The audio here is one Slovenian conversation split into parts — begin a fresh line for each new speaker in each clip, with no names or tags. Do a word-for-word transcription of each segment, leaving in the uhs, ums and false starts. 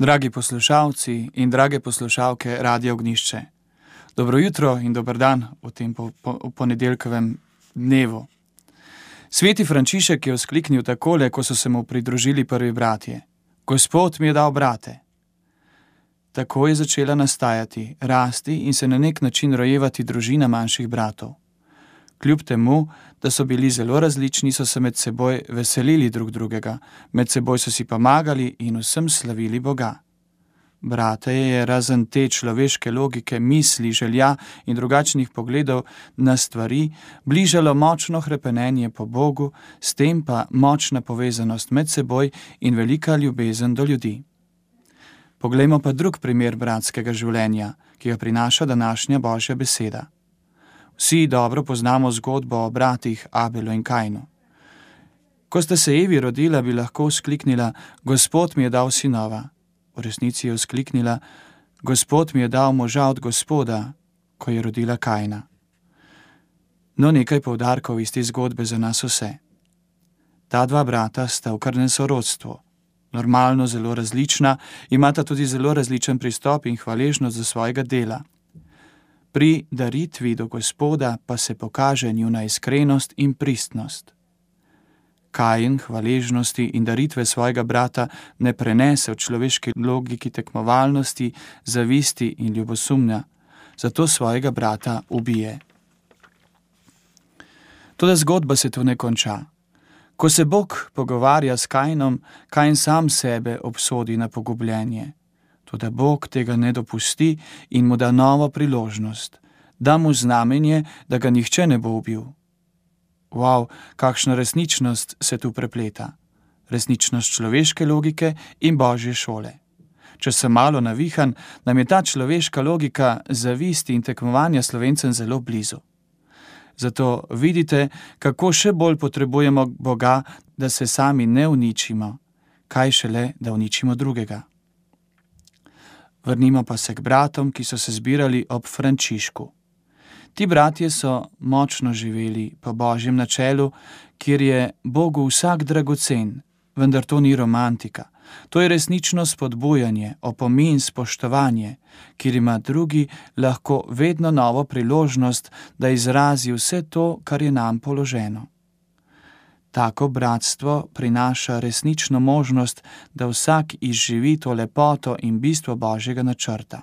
Dragi poslušalci in drage poslušalke Radia Ognjišče, dobro jutro in dober dan v tem po, po, ponedeljkovem dnevu. Sveti Frančišek je vzkliknil takole, ko so se mu pridružili prvi bratje: Gospod mi je dal brate. Tako je začela nastajati, rasti in se na nek način rojevati družina manjših bratov. Kljub temu, da so bili zelo različni, so se med seboj veselili drug drugega, med seboj so si pomagali in vsem slavili Boga. Brate je razen te človeške logike, misli, želja in drugačnih pogledov na stvari bližalo močno hrepenenje po Bogu, s tem pa močna povezanost med seboj in velika ljubezen do ljudi. Poglejmo pa drug primer bratskega življenja, ki ga prinaša današnja Božja beseda. Vsi dobro poznamo zgodbo o bratih Abelu in Kainu. Ko sta se Evi rodila, bi lahko vzkliknila: Gospod mi je dal sinova. V resnici je vzkliknila: Gospod mi je dal moža od Gospoda, ko je rodila Kaina. No, nekaj poudarkov iz te zgodbe za nas vse. Ta dva brata sta v krvnem sorodstvu, normalno zelo različna, imata tudi zelo različen pristop in hvaležnost za svojega dela. Pri daritvi do Gospoda pa se pokaže njuna iskrenost in pristnost. Kain hvaležnosti in daritve svojega brata ne prenese v človeški logiki tekmovalnosti, zavisti in ljubosumja, zato svojega brata ubije. Toda zgodba se tu ne konča. Ko se Bog pogovarja s Kainom, Kain sam sebe obsodi na pogubljenje. Toda Bog tega ne dopusti in mu da novo priložnost, da mu znamenje, da ga nihče ne bo ubil. Wow, kakšna resničnost se tu prepleta. Resničnost človeške logike in Božje šole. Če sem malo navihan, nam je ta človeška logika zavisti in tekmovanja Slovencem zelo blizu. Zato vidite, kako še bolj potrebujemo Boga, da se sami ne uničimo, kaj šele, da uničimo drugega. Vrnimo pa se k bratom, ki so se zbirali ob Frančišku. Ti bratje so močno živeli po Božjem načelu, kjer je Bogu vsak dragocen, vendar to ni romantika. To je resnično spodbujanje, opomin, spoštovanje, kjer ima drugi lahko vedno novo priložnost, da izrazi vse to, kar je nam položeno. Tako bratstvo prinaša resnično možnost, da vsak izživi to lepoto in bistvo Božjega načrta.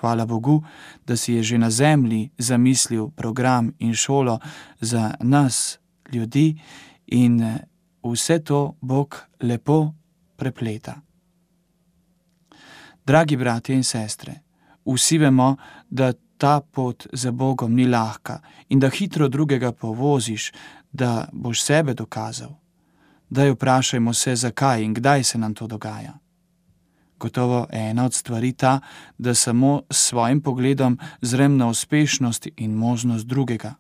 Hvala Bogu, da si je že na zemlji zamislil program in šolo za nas, ljudi, in vse to Bog lepo prepleta. Dragi bratje in sestre, vsi vemo, da ta pot za Bogom ni lahka in da hitro drugega povoziš, da boš sebe dokazal. Daj vprašajmo se, zakaj in kdaj se nam to dogaja. Gotovo ena od stvari ta, da samo s svojim pogledom zrem na uspešnost in možnost drugega.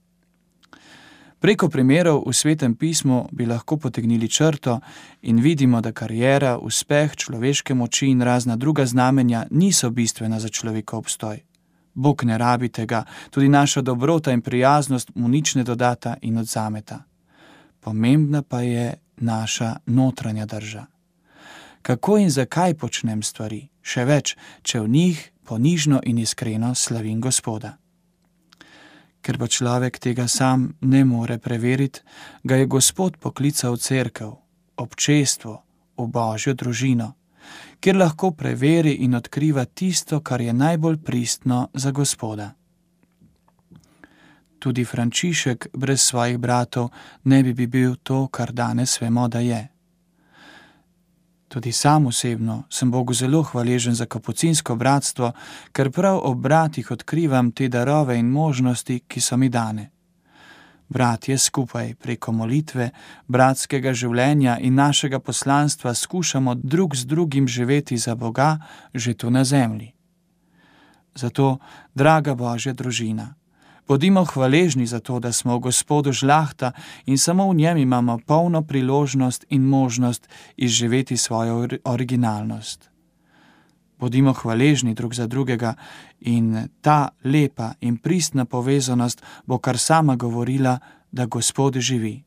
Preko primerov v Svetem pismu bi lahko potegnili črto in vidimo, da kariera, uspeh, človeške moči in razna druga znamenja niso bistvena za človekov obstoj. Bog ne rabi tega, tudi naša dobrota in prijaznost mu nič ne dodata in odzameta. Pomembna pa je naša notranja drža. Kako in zakaj počnem stvari, še več, če v njih ponižno in iskreno slavim Gospoda. Ker pa človek tega sam ne more preveriti, ga je Gospod poklical v cerkev, občestvo, v Božjo družino, kjer lahko preveri in odkriva tisto, kar je najbolj pristno za Gospoda. Tudi Frančišek brez svojih bratov ne bi bil to, kar danes vemo, da je. Tudi sam osebno sem Bogu zelo hvaležen za kapucinsko bratstvo, ker prav ob bratih odkrivam te darove in možnosti, ki so mi dane. Bratje skupaj preko molitve, bratskega življenja in našega poslanstva skušamo drug z drugim živeti za Boga že tu na zemlji. Zato, draga Božja družina, bodimo hvaležni za to, da smo v Gospodu žlahta in samo v njem imamo polno priložnost in možnost izživeti svojo originalnost. Bodimo hvaležni drug za drugega in ta lepa in pristna povezanost bo kar sama govorila, da Gospod živi.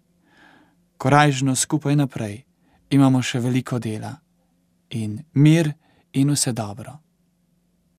Korajžno skupaj naprej, imamo še veliko dela. in mir in vse dobro.